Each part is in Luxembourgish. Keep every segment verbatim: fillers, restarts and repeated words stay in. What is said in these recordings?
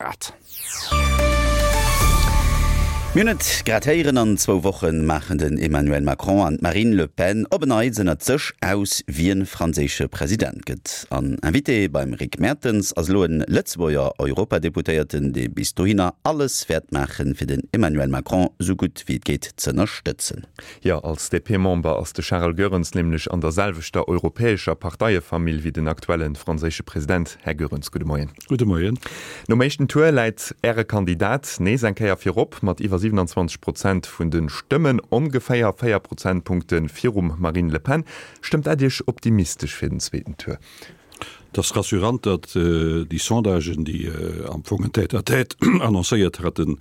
Grad. Mir hunn et grad héieren, an zwou Woche maachen den Emmanuel Macron an d'Marine Le Pen op en Neits ënnert sech aus, wien franséische President gëtt. An Invité beim Rick Mertens ass elo en Lëtzebuerger Europadeputéierten, dee bis dohinner alles wäert maachen, fir den Emmanuel Macron sou gutt wéi et geet z'ënnerstëtzen. Jo, als D P-Member ass de Charel Goerens nämlech an der selwechter europäescher Parteiefamill wéi den aktuelle franséische President. Här Goerens, gudde Moien. Gudde Moien. Nom éischten Tour läit Äre Kandidat nees eng Kéier virop mat iwwer siewenundzwanzeg Prozent vun de Stëmmen, ongeféier véier Prozentpunkte virum Marine Le Pen. Stëmmt dat Iech optimistesch fir den zweeten Tour? Et ass rassurant, datt déi Sondagen, déi am Fong en Tête-à-tête annoncéiert haten,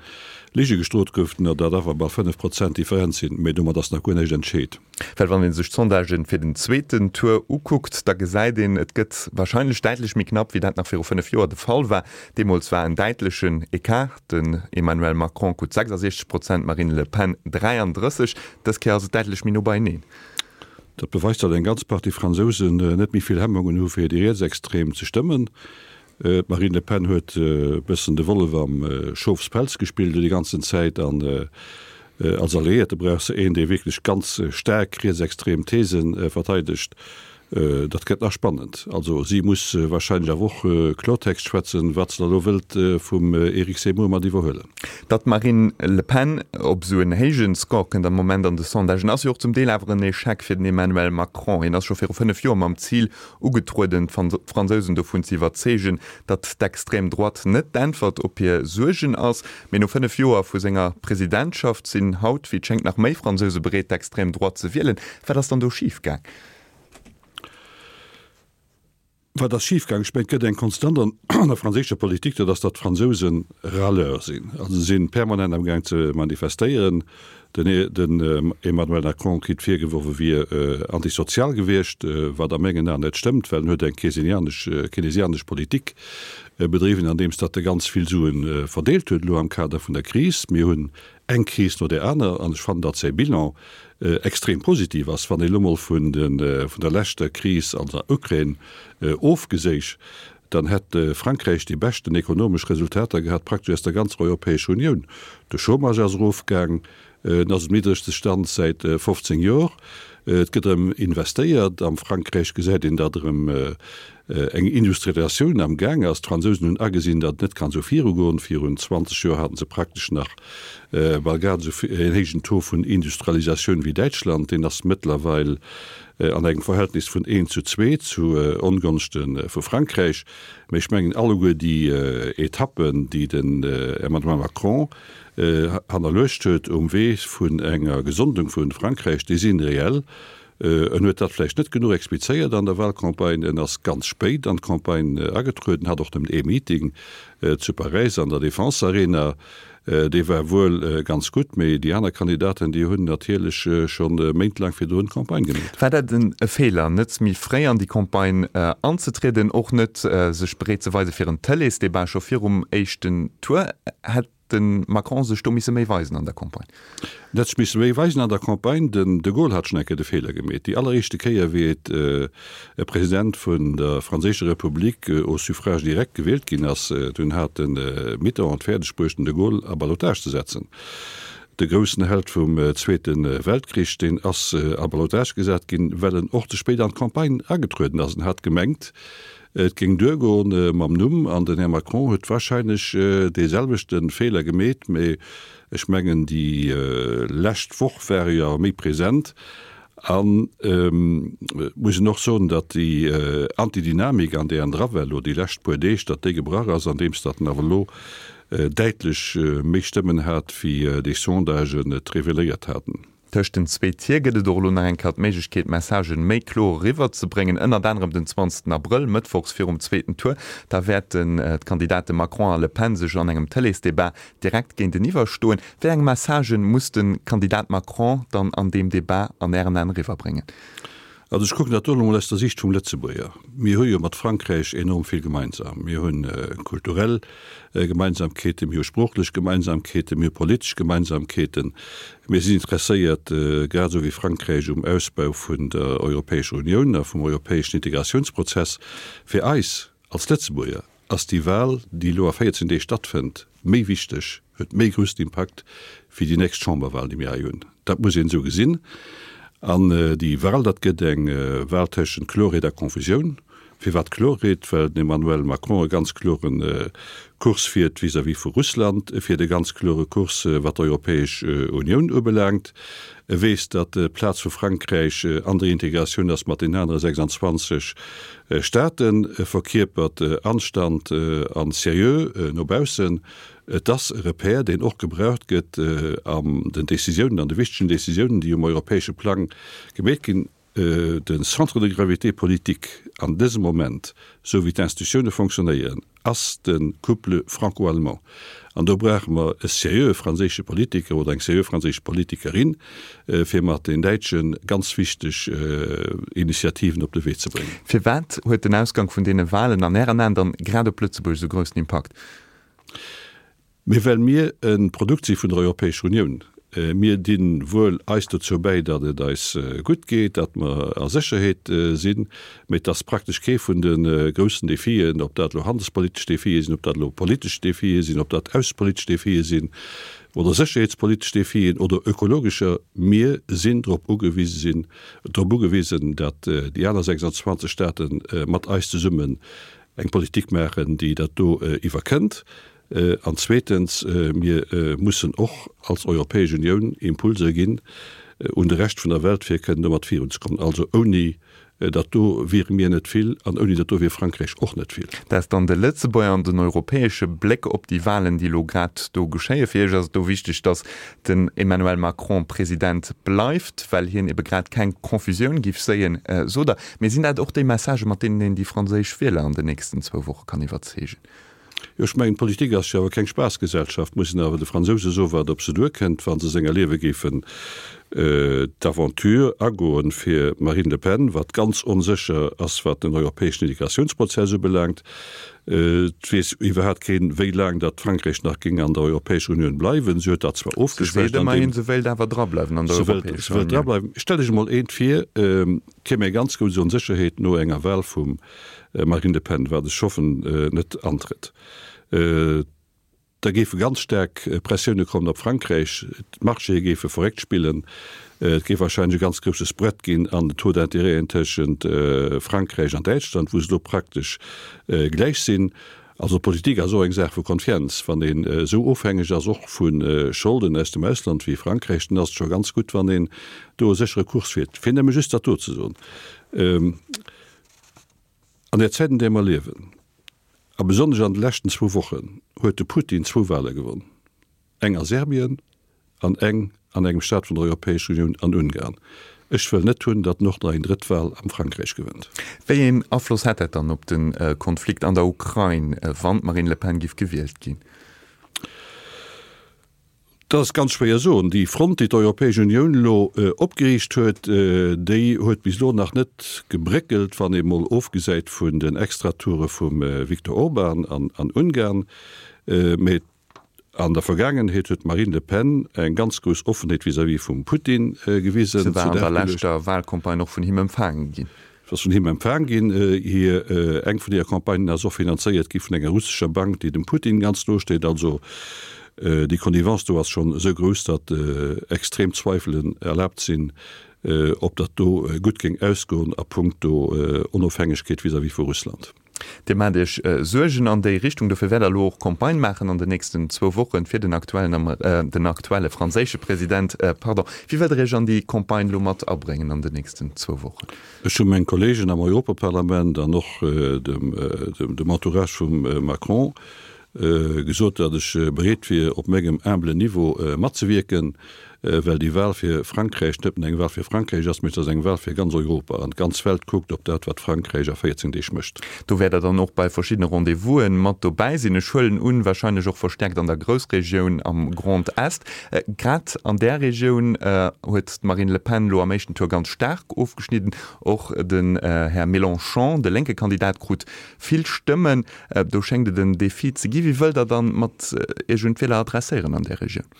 Lige gestrooft goufen, datt awer bal fënnef Prozent Differenz sinn, mee domat ass nach guer näischt entscheet. Well wann ee sech d'Sondagen fir den zweeten Tour ukuckt, da gesäit een, et gëtt warscheinlech däitlech méi knapp, wéi dat nach viru fënnef Joer de Fall war. Deemools war en däitlechen Ecart, den Emmanuel Macron krut sechsasechzeg Prozent, d'Marine Le Pen dräiandrësseg. Dës Kéier ass et däitlech méi no beieneen. Dat beweist, datt eng ganz Partie Fransousen net méi vill Hemmungen hu fir déi Rietsextrem ze stëmmen. D'Marine Le Pen huet e bëssen de Wollef am Schofspelz gespillt déi ganzen Zäit an als Alliéierte brauch se een, dee wierklech ganz staark rietsextrem These verteidegt. Dat gëtt nach spannend. Also si muss warscheinlech awer och Kloertext schwätzen, wat se da elo wëllt vum Eric Zemmour mat iwwerhuelen. Datt d'Marine Le Pen op esou en héije Score kënnt am Moment an de Sondagen, ass jo och zum Deel awer en Echec fir den Emmanuel Macron. Hien ass scho viru fënnef Joer mam Zil ugetrueden, d'Fransousen dovun ze iwwerzeegen, datt d'extrême Droite net d'Äntwert op hir Suergen ass. Mee no fënnef Joer vu senger Presidentschaft sinn haut, wéi et schéngt, nach méi Fransouse bereet, d'extrême Droite ze wielen. Wat ass dann do schif gaang? Wat ass schif gaang? Ech mengen, et gëtt eng Konstant an der franséischer Politik, dat ass, datt d'Fransouse Râleur sinn. Also se si permanent am Gaang ze manifestéieren. Den Emmanuel Macron kritt virgeworf, e wier antisozial gewiescht, wat a mengen Aen net stëmmt, well en huet eng keynesianesch Politik bedriwwen, andeems datt e ganz vill Sue verdeelt huet elo am Kader vun der Kris. Mir hunn eng Kris no där aner an ech fannen, datt säi Bilan extrem positiv ass, wann ee lo mol vun der leschter Kris an der Ukrain ofgeséich, dann hätt Frankräich déi beschten ekonomesch Resultater gehat praktesch aus der ganzer Europäescher Unioun. De Chômage ass erofgaang, en ass um niddregste Stand säit fofzéng Jor. Et gëtt erëm investéiert. Am Frankräich gesäit een, datt erëm eng Industrialisatioun am Gaang ass. D'Fransousen hunn agesinn, datt et net kann esou virugoen. Virun zwanzeg Joer haten se praktesch nach bal grad esou en héijen Taux vun Industrialisatioun wéi Däitschland. Deen ass mëttlerweil an engem Verhältnis vun eent zu zwee zu Ongonschte vu Frankräich. Mä ech mengen, alleguer déi Etappen, déi den Emmanuel Macron hannerluecht huet um Wee vun enger Gesondung vu Frankräich, déi si reell. En huet dat vläicht net genuch explizéiert an der Wahlcampagne. En ass ganz spéit an d'Campagne agetrueden, hat och nëmmen ee Meeting zu Paräis an der Défense Arena. Dee war wuel ganz gutt, mee déi aner Kandidaten, déi hunn natierlech scho méintlaang virdrun d'Campagne gemeet. War dat e Feeler, net méi fréi an déi Campagne anzetrieden, och net sech bereet ze weise fir en Tëleesdebat scho virum éischten Tour? Hätt de Macron sech do misse méi weisen an der Campagne? En hätt sech misse méi weisen an der Campagne. Den de Gaulle hat schonn eng Kéier de Feeler gemeet. Déi alleréischte Kéier, wéi et e President vun der franséischer Republik au suffrage direct gewielt ginn ass, dunn hat de Mitterrand et fäerdeg bruecht, den de Gaulle a Ballottage ze setzen. De groussen Held vum Zweete Weltkrich, deen ass a Ballottage gesat ginn, well en och ze spéit an d'Campagne agetrueden ass. En hat gemengt, et géing duergoen mam Numm, an den Här Macron huet wahrscheinlech dee selwechte Feeler gemeet. Mee ech mengen, déi lescht Woch war e jo méi present. An et muss een och soen, datt déi Antidynamik, an där en dra war elo déi lescht puer Deeg, datt déi gebrach ass, andeems datt en awer elo däitlech méi Stëmmen hat, wéi déi Sondagen et reveléiert haten. Tëscht den zwee Tier gëtt et och elo nach eng Kéier d'Méiglechkeet, Messagen méi kloer eriwwer ze bréngen, ënnert anerem den zwanzegsten Abrëll, mëttwochs virum zweeten Tour. Da wäerten d'Kandidate Macron a Le Pen sech an engem Tëleesdebat direkt géinteniwwer stoen. Wéi eng Messagen muss de Kandidat Macron dann an deem Debat an Ären Aen eriwwer bréngen? Also ech kucken dat do elo mol aus der Sicht vum Lëtzebuerger. Mir hu jo mat Frankräich enorm vill gemeinsam. Mir hu kulturell Gemeinsamkeeten, mir hu sproochlech Gemeinsamkeeten, mir hu politesch Gemeinsamkeeten. Mir sinn interesséiert, grad esou wéi Frankräich, um Ausbau vun der Europäescher Unioun a vum europäeschen Integratiounsprozess. Fir eis als Lëtzebuerger ass déi Wal, déi elo a véierzehn Deeg stattfënnt, méi wichteg, huet méi groussen Impakt wéi déi nächst Chamberwal, déi mir hei hunn. Dat muss een esou gesinn. An déi Wal, dat gëtt eng Wal tëschent Klorheet a Konfusioun. Firwat Klorheet? Well den Emmanuel Macron e ganz klore Kurs fiert vis-à-vis vu Russland, e fiert e ganz klore Kurs, wat d'Europäesch Unioun ubelaangt. E weess, datt d'Plaz vu Frankräich an der Integratioun ass mat den anere sechsundzwanzeg Staaten. E verkierpert Anstand a Seriö no baussen. Et ass e Repère, deen och gebraucht gëtt an den Décisiounen, an de wichtegen Décisiounen, déi um europäesche Plang gemeet ginn. De Centre de gravité politique an dësem Moment, esou wéi d'Institutioune fonctionnéieren, ass de Couple franco-allemand. An do brauche mer e seriöe franséische Politiker oder eng seriö franséisch Politikerin, fir mat den Däitsche ganz wichteg Initiativen op de Wee ze bréngen. Firwat huet den Ausgang vun deene Walen an Ären Aen dann grad op Lëtzebuerg esou groussen Impakt? Mee well mir e Produkt si vun der Europäescher Unioun. Mir di wuel eis dozou bäi, datt et eis gutt geet, datt mer a Sécherheet sinn, mee et ass praktesch kee vun de groussen Defien, ob dat elo handelspolitesch Defie sinn, ob dat elo politesch Defie sinn, ob dat aussepolitesch Defie sinn oder sécherheetspolitesch Defien oder ökologescher, mir sinn drop ugewise sinn, drop ugewisen, datt déi aner sechsundzwanzeg Staate mat eis zesummen eng Politik maachen, déi dat do iwwerkënnt. An zweetens, mir mussen och als Europäesch Unioun Impulser ginn un de Rescht vun der Welt, fir kënnen domat virunzekommen. Also ouni dat do wiere mir net vill an ouni dat do wier Frankräich och net vill. Dat ass dann de Lëtzebuerger an den europäesche Bléck op déi Wahlen, déi elo grad do geschéien. Fir Iech ass et do wichteg, datt den Emmanuel Macron President bleift, well hien ebe grad keng Confusioun giff séien, sot Der. Mee sinn dat och déi Messagen, mat deenen een déi franséisch Wieler an den nächsten zwou Woche kann iwwerzeegen? Jo, ech mengen, d'Politik ass jo awer keng Spaassgesellschaft. Muss een awer de Fransouse soen, wat op se duerkënnt, wa se senger Liewe géifen d'Aventure agoen fir d'Marine Le Pen, wat ganz onsécher ass, wat den europäeschen Integratiounsprozess ubelaangt. Et weess iwwerhaapt keen, wéi laang datt Frankräich nach géing an der Europäescher Unioun bleiwen. Si huet dat zwar Se seet ofgeschwächt, an ëmmerhin, deem se wéilt awer drableiwen an der se wëllt, Europäescher se wëllt Unioun. drableiwen. Stellt Iech emol eent vir, et kéim eng ganz grouss Onsécherheet no enger Wahl vum Marine Le Pen, wat ech hoffen net antrëtt. Da géife ganz staark Pressioune kommen op Frankräich, d'Marchéë géife verréckt spillen, et géif warscheinlech e ganz grousse Spread ginn an den Taux d'intérêten tëschent Frankräich an Däitschland, wou se elo praktesch gläich sinn. Also Politik ass och eng Saach vu Confiance. Wann een esou ofhängeg ass och vu Scholden aus dem Ausland wéi Frankräich, dann ass et scho ganz gutt, wann een do e séchere Kurs fiert. Fir nëmme just dat do ze soen, An där Zäit, an där mer liewen, a besonnesch an de leschten zwou Wochen, huet de Putin zwou Wahle gewonn, eng a Serbien an eng an engem Staat vun der Europäescher Unioun, an Ungarn. Ech wëll net hunn, datt en och nach eng drëtt Wahl am Frankräich gewënnt. Wéi een Afloss hätt dat dann op de Konflikt an der Ukrain, wann d'Marine Le Pen giff gewielt ginn? Dat ass ganz schwéier soen. Déi Front, déi d'Europäesch Unioun elo opgeriicht huet, déi huet bis elo nach net gebréckelt, wann ee mol ofgesäit vun den Extratoure vum Viktor Orban an Ungarn. Mee an der Vergaangenheet huet d'Marine Le Pen eng ganz grouss Offenheet vis-à-vis vum Putin gewisen. Se war an der leschter Wahlcampagne och vun him empfaange ginn. Se ass vun him empfaang ginn. Hir, eng vun hire Campagnen ass och finanzéiert gi vun enger russescher Bank, déi dem Putin ganz no steet. Also déi Connivence do ass schonn esou grouss, datt extrem Zweifelen erlaabt sinn, ob dat do gutt géing ausgoen a punkto Onofhängegkeet vis-à-vis vu Russland. Dir maacht Iech Suergen an déi Richtung. Dofir wäert Der elo och Campagne maachen an den nächsten zwou Wochen fir den aktuellen, den aktuelle franséische President, pardon. Wéi wëllt Der Iech an déi Campagne elo mat abréngen an den nächsten zwou Wochen? Ech hu meng Kolleegen am Europaparlament an och dem Entourage vum Macron gesot, datt ech bereet wier, op mengem humblen Niveau matzewierken, well déi Wahl fir Frankräich net nëmmen eng Wahl fir Frankräich ass, mee et ass eng Wahl fir ganz Europa an d'ganz Welt kuckt op dat, wat Frankräich a véierzéng Deeg mécht. Do wäert Der dann och bei verschiddene Rendez-vous'en mat dobäi sinn. Ech huelen un, wahrscheinlech och verstäerkt an der Groussregioun am Grand Est. Grad an där Regioun huet d'Marine Le Pen elo am éischten Tour ganz staark ofgeschnidden. Och den Här Mélenchon, de lénke Kandidat, krut vill Stëmmen. Do schéngt et en Defi ze ginn. Wéi wëllt Der dann mat Iech un d'Wieler adresséieren an där Regioun?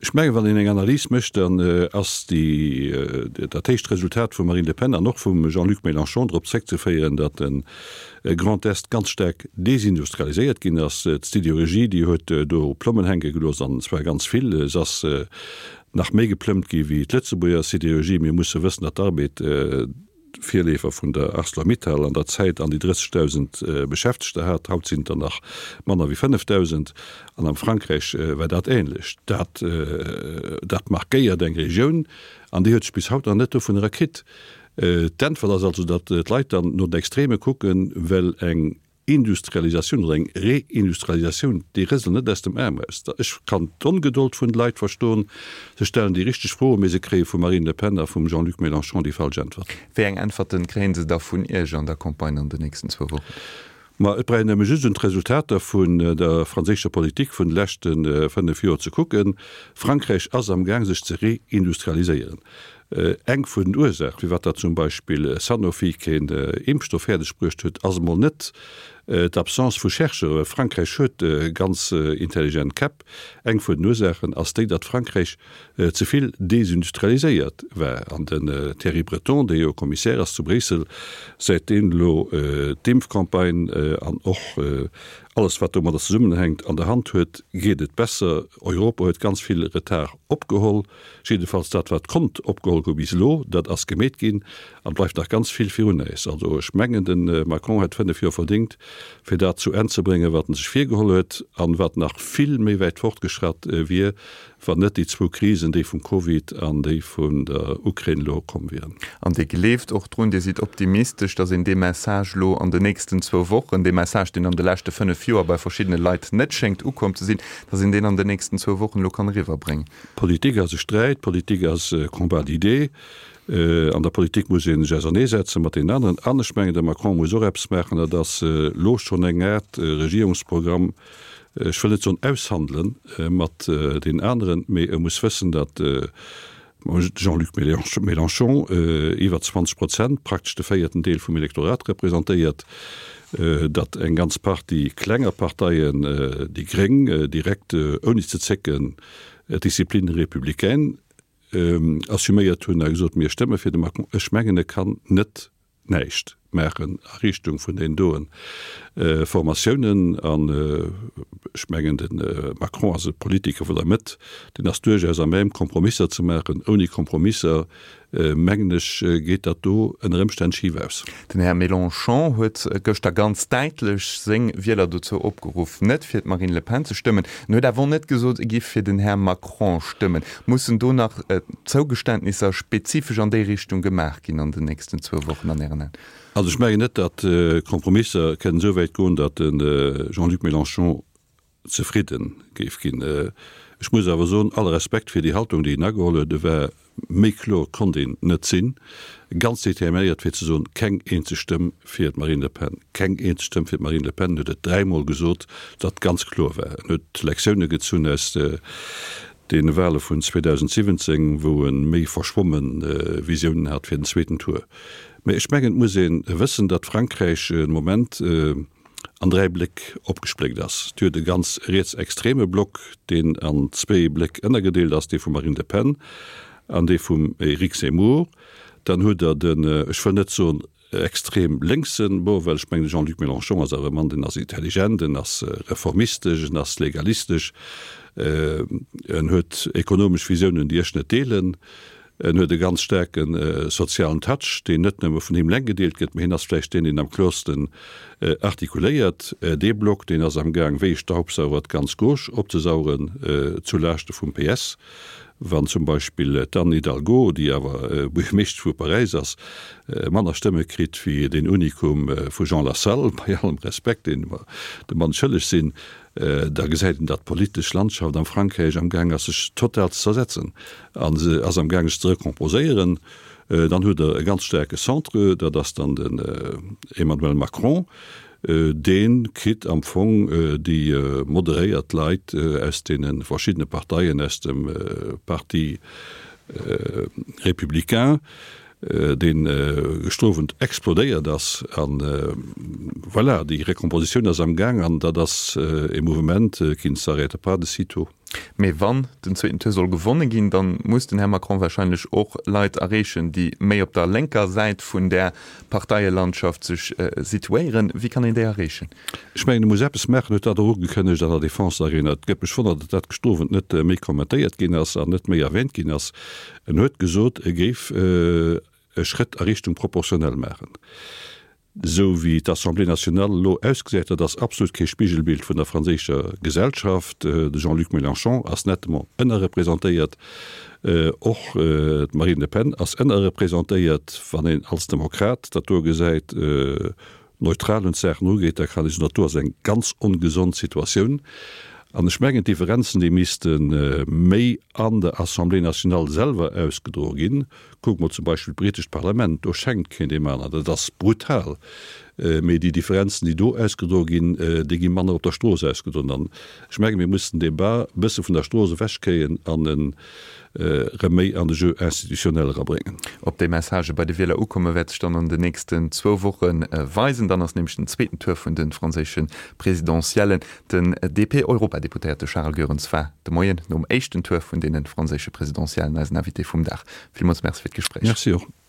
Ech mengen, wann een eng Analys mécht, dann ass déi, dat héicht Resultat vum Marine Le Pen an och vum Jean-Luc Mélenchon drop zréckzeféieren, datt de Grand Est ganz staark desindustrialiséiert ginn ass. D'Sidérurgie, déi huet do Plommen hänke gelooss, an zwar ganz vill. Se ass nach méi geplëmmt gi wéi d'Lëtzebuerger Sidérurgie. Mir musse wëssen, datt d'Arbed, Virleefer vun der Arcelor-Mittal an der Zäit an déi drëssegdausend Beschäftegter hat, haut sinn et der nach manner wéi fënnefdausend, an am Frankräich war dat ähnlech. Dat dat markéiert eng Regioun, an déi huet sech bis haut nach net dovun erkritt. D'Äntwert ass also, datt d'Leit dann no den Extreme kucken, well eng Industrialisatioun oder eng Reindustrialisatioun, déi rëselen net aus dem Aarm eraus. Ech kann d'Ongedold vun de Leit verstoen. Se stellen déi richteg Froen, mee se kréie vum Marine Le Pen a vum Jean-Luc Mélenchon déi falsch Äntwerten. Wéi eng Äntwerten kréie se da vun Iech an der Campagne an den nächsten zwou Wochen? Ma et brauch een nëmme just un d'Resultater vun der franséischer Politik vun de leschte fënnef Joer ze kucken. Frankräich ass am Gaang sech ze reindustrialiséieren. Eng vun den Ursaach, firwat datt zum Beispill Sanofi keen Impfstoff fäerdeg bruecht huet, ass emol net d'Absence vu Chercheuren. Frankräich huet ganz intelligent Käpp. Eng vun den Ursaachen ass déi, datt Frankräich ze vill desindustrialiséiert war. An den Thierry Breton, dee jo Commissaire ass zu Bréissel, säit deen elo d'Impfcampagne an och alles wat domadder zesummenhänkt an der Hand huet, geet et besser. Europa huet ganz vill Retard opgeholl, jiddefalls dat wat konnt opgeholl goe bis elo, dat ass gemeet ginn an bleift nach ganz vill virun äis. Also ech mengen de Macron hätt fënnef Joer verdéngt fir dat zu Enn ze bréngen wat en sech virgeholl huet an wat nach vill méi wäit fortgeschratt wier, wann net déi zwou Krisen, déi vum Covid an déi vun der Ukrain elo komm wieren. An Dir gleeft och drun, Dir sidd optimistesch, datt een dee Message elo an den nächsten zwou Wochen, dee Message, deen an de leschte fënnef Joer bei verschiddene Leit net schéngt ukomm ze sinn, datt een deen an den nächsten zwou Wochen elo kann eriwwerbréngen? Politik ass e Sträit, Politik ass e Combat d'idées. An der Politik muss ee sech auserneesetze mat deenen aneren. An ech mengen, de Macron muss och eppes maachen, dat ass elo schonn eng Aart Regierungsprogramm, ech wëll net soen aushandelen mat deenen aneren, mee e muss wëssen, datt Jean-Luc Mélenchon iwwer zwanzeg Prozent, praktesch de véierten Deel vum Elektorat representéiert, datt eng ganz Partie klenger Parteien, déi Gréng, direkt ouni ze zécken d'Discipline républicaine assuméiert hunn a gesot, mir stëmme fir de Macron. Ech mengen, e kann net näischt maachen a Richtung vun deenen doen Formatiounen. An ech mengen, de Macron ass e Politiker vun der Mëtt, deen ass duerchaus à même, Kompromisser ze maachen. Ouni Kompromisser, mengen ech, geet dat do ënner Ëmstänn schif aus. Den Här Mélenchon huet gëschter ganz däitlech seng Wieler dozou opgeruff, net fir d'Marine Le Pen ze stëmmen. En huet awer och net gesot, e giff fir den Här Macron stëmmen. Mussen do nach Zougeständnisser spezifesch an déi Richtung gemaach ginn an den nächsten zwou Wochen an Ären Aen? Also ech mengen net, datt Kompromisser kënnen esou wäit goen, datt de Jean-Luc Mélenchon zefridde géif ginn. Ech muss awer soen, alle Respekt fir déi Haltung, déi en ageholl huet, e war, méi kloer konnt een net sinn, ganz determinéiert fir ze soen, keng eenzeg Stëmm fir d'Marine Le Pen, keng eenzeg Stëmm fir d'Marine Le Pen. En huet et dräimol gesot, datt ganz kloer war. En huet Lektioune gezunn aus deene Wahle vun zweedausendsiwwenzéng, wou e méi verschwomme Visiounen hat fir den zweeten Tour. Mä ech mengen, et muss ee wëssen, datt Frankräich de Moment an dräi Bléck opgespléckt ass. Et huet e ganz rietsextreme Block, deen an zwee Bléck ënnergedeelt ass, dee vum Marine Le Pen an dee vum Éric Zemmour. Dann hutt Der den, ech wëll net soen extrem lénksen, bon, well ech mengen, de Jean-Luc Mélenchon ass awer e Mann, deen ass intelligent, en ass reformistesch, en ass legalistesch, en huet ekonomesch Visiounen, déi ech net deelen, en huet e ganz staarke sozialen Touch, deen net nëmme vun him eleng gedeelt gëtt, mä hien ass vläicht deen, deen am kloersten artikuléiert. Dee Block, deen ass amgaang, wéi e Staubsauger d'ganz Gauche opzesaugen, zu Laaschte vum P S. Wann zum Beispill d'Anne Hidalgo, déi awer Buergermeeschtesch vu Paräis ass, manner Stëmme kritt wéi deen Unikum vu Jean Lassalle, bei allem Respekt, deen mer dem Mann schëlleg sinn, da gesäit een, datt d'politesch Landschaft am Frankräich am gaang ass, sech total ze zersetzen a se ass am gaang, sech ze recomposéieren. Dann hutt Der e ganz staarke Centre, dat ass dann den Emmanuel Macron. Dee kritt am Fong déi moderéiert Leit aus deene verschiddene Parteien, aus dem Parti républicain, dee gestrowend explodéiert ass. An voilà, déi Recompositioun ass am Gaang an dat ass e Mouvement qui ne s'arrête pas de sitôt. Mee wann den zweeten Tour soll gewonne ginn, dann muss den Här Macron wahrscheinlech och Leit erreechen, déi méi op der lénker Säit vun där Parteielandschaft sech situéieren. Wéi kann een déi erreechen? Ech mengen, e muss eppes maachen, huet dat och ugekënnegt an der Défense Arena. Et gëtt mech wonnert, datt dat gëschter Owend net méi kommentéiert ginn ass an net méi erwähnt ginn ass. En huet gesot, e géif e Schrëtt a Richtung proportionnel maachen. Esou wéi d'Assemblée nationale elo ausgesäit, dat ass absolut kee Spigelbild vun der franséischer Gesellschaft. De Jean-Luc Mélenchon ass nettement ënnerrepresentéiert, och d'Marine Le Pen ass ënnerrepresentéiert. Wann een als Demokrat dat do gesäit, neutral un d'Saachen erugeet, da kann ee soen, dat do ass eng ganz ongesond Situatioun. An ech mengen, d'Differenzen, déi misste méi an der Assemblée nationale selwer ausgedroe ginn. Kucke mer zum Beispill d'britescht Parlament, do schenkt keen deem aneren, dat ass brutal. Mee déi Differenzen, déi do ausgedroe ginn, déi gi manner op der Strooss ausgedroen. An ech menge mir mussen den Débat e bësse vun der Strooss ewechkréien an en erëm méi an de Jeu institutionnel erabréngen. Ob déi Messagë bei de Wieler ukomme wäert sech dann an den nächsten zwou Woche weisen. Dann ass nämlech den zweeten Tour vun de franséische Presidentiellen. Den D P-Europadeputéierte Charles Goerens war de Moien nom éischten Tour vun deene franséische Presidentiellen eisen Invité vum Dag. Villmools Merci fir d'Gespréich. Merci och.